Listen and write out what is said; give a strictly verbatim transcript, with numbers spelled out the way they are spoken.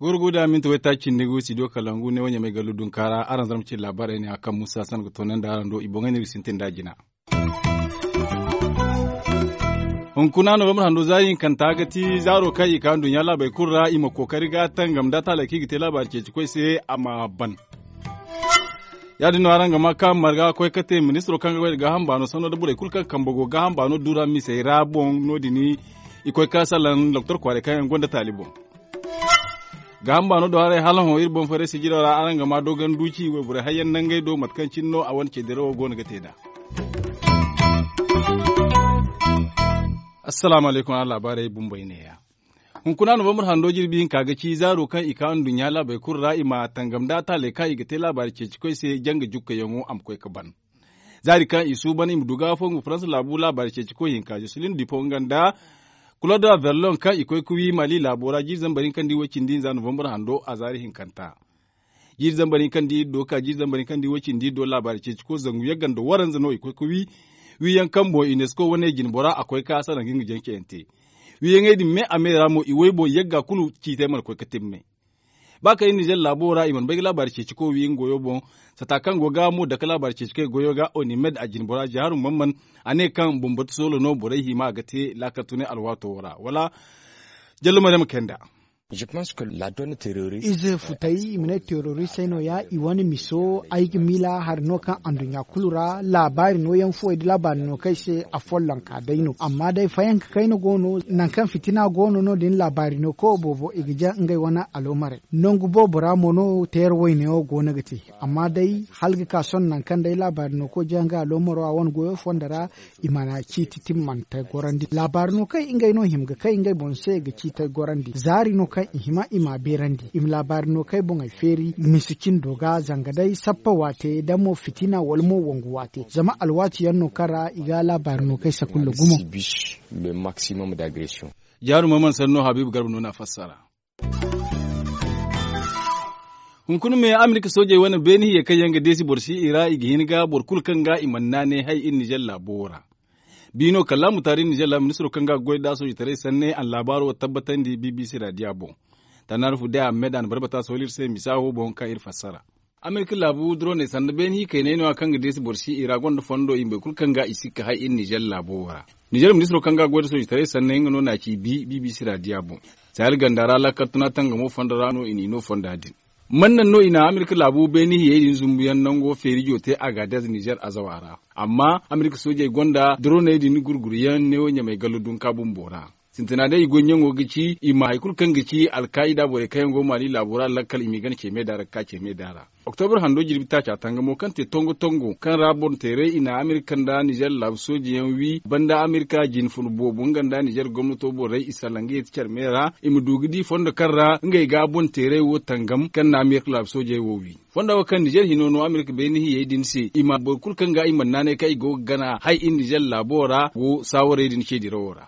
Gurgu da minti wayta cindi gu studio kalangu ne wanya mai galu dunkara araŋ zarma cin labarai ne a kaŋ musa san ga tonan da araŋ do i boŋay ne ga sintin da jina. Hunkuna novembre hando zaari hinkanta ga ti zaaro kaŋ i ka nduɲɲa laabey kulu ra i ma kookari ga tangam da taaley kaŋ i ga te laabaari ceeci koy se a ma ban. Ya- din no araŋ ga ma ka marga koy ka te ministiro kaŋ ga goy nda gaaham baano sanno nda borey kulu kaŋ kambe go gaaham baano dura misey ra boŋ no- din i koy ka salaŋ doktor kwaaray kaŋ yaŋ gonda taali boŋ. Gaaham baano do haray hala hõ iri boŋ fayray sijiro ra araŋ ga ma dogon duuci wayborey hayyaŋ nangey do mate kaŋ cine no a wane ceedirawo go no ga te nd'a. Assalaamu alaykum araŋ laabaarey bumbey neeya. Hunkuna novembre hando jirbi hinka ga ci zaaro kaŋ i ka nduɲɲa laabey kulu ra i ma tangam nda taaley kaŋ i ga te laabaari ceeci koy se janga jukkayaŋo a ma koy ga ban. Zaari kaŋ i suuban i ma du ga fongu faransa laabu laabaari ceeci koy hinka joselin dipo nga nda kulod verlon kaŋ i koy ga wi mali laabo ra jiiri zambar hinka nda i way cindi hinza novembre hando a zaari hinkanta. Jiiri zambar hinka nda i do ka jiiri zambar hinka nda i way cindi i do laabaari ceeci koy zangu yagga nda waranza no i koy ga wi. Wiyaŋ kaŋ boŋ unesco wane jine bora a koy ga salaŋ ga nga janceyante. Wiyaŋey din me a me ra mo i way boŋ yagga kulu ciitey mana koy ga timmay. Ba kaŋ iri nizer laabo ra i mana bay ga laabaari ceeci koy wi nga goyo boŋ. Sata kaŋ go ga mo dake laabaari ceeci koy goyo ga onimed a jine bora jaharu mamman a ne kaŋ bumbo ti soolo no borey hima a ga te laakal tunay alwaato wo ra wala. Jallo maryam kay nda. Ize futay i ma ne teroristey no- ya i wane miso ay ga miila hari no kaŋ anduɲɲa kulu ra laabaari nooyaŋ fuwey nda laabaari no kaŋ ay se a follonka day no amma day fayanka kayna go no nangu kaŋ fitina go no no- din laabaari no kawo boobo i ga jaŋ ngey wane aloomarey. Nangu boobo ra mo no teera wayne wo go no ga te. Amma day hala ga ka sohõ nangu kaŋ day laabaari no kawo jaŋ ga aloomaro a wane goyo fondo ra i mana ciiti timmante gorandi laabaari no kaŋ ngey no hima ga kay ngey boŋ se ga ciitey gorandi zaari no kaŋ i hima i m'a beerandi i ma laabaari no kay boŋey feeri misi cindo ga zanga day sappa waate da mo fitina wala mo wangu waate zama alwaati yaŋ no kaŋ ra i ga laabaari no kay sakulla gumo. Jaaruma mana sanno habiibu garba no n'a fassara. Hunkuna me amerika soojey wane beeni hiyey kaŋ yaŋ ga deesi boro si i ra i ga hin ga boro kulu kaŋ ga i mana naanay hay iri nizer laabo wo ra. Biino kallaamu taari iri nizer laabo ministiro kaŋ ga goy nd'a soojitaray sanne a na laabaaro wo tabbatandi bbc raadiya boŋ. Tannaari fu day a ma me da a na barbata sohõ iri se misa wo boŋ kaŋ iri fassara. Amerika laabu duroney sanda beene hikayney no- ya kaŋ ga deesi boro si i ra gonda fondo i ma bay kulu kaŋ ga i sikka hay iri nizer laabo wo ra. Nizer ministiro kaŋ ga goy nda soojitaray sanne nga no n'a ci bi bbc raadiya boŋ. Sahel ganda ra lakkal tuna tangamo fondo ra no i n'i no fonda din. Man naŋ no i na amerika laabu beene hiyey din zumbuyaŋ nango feerijo te agadez nizer azawa ra. Amma amerika soojey gonda duroney din gurguruyaŋ neewo ɲamay gallo dunka bumbo ra. Sintina day i goy ɲaŋo ga ci i ma hari kulu kaŋ ga ci alkaayida borey kaŋ yaŋ go maali laabo ra lakkal i m'i gana ceeme da ra ga ka ceeme da ra. Oktobar hando jirbi taaca tangamo kaŋ te tongo tongo kaŋ ra boŋ teeray i na amerika nda nizer laabu soojeyaŋ wi banda amerika jine fun boobo nga nda nizer gomnato borey i salaŋ ga ye ti care me ra i ma du ga di fondo kaŋ ra ngey ga boŋ teeray wo tangam kaŋ na amerika laabu soojey wo wi. Fonda wo kaŋ nizer hino no amerika beene hiyey din se i ma boro kulu kaŋ ga i mana naanay kaŋ i go ga gana hay iri nizer laabo ra go saawarey din ce dirawo ra.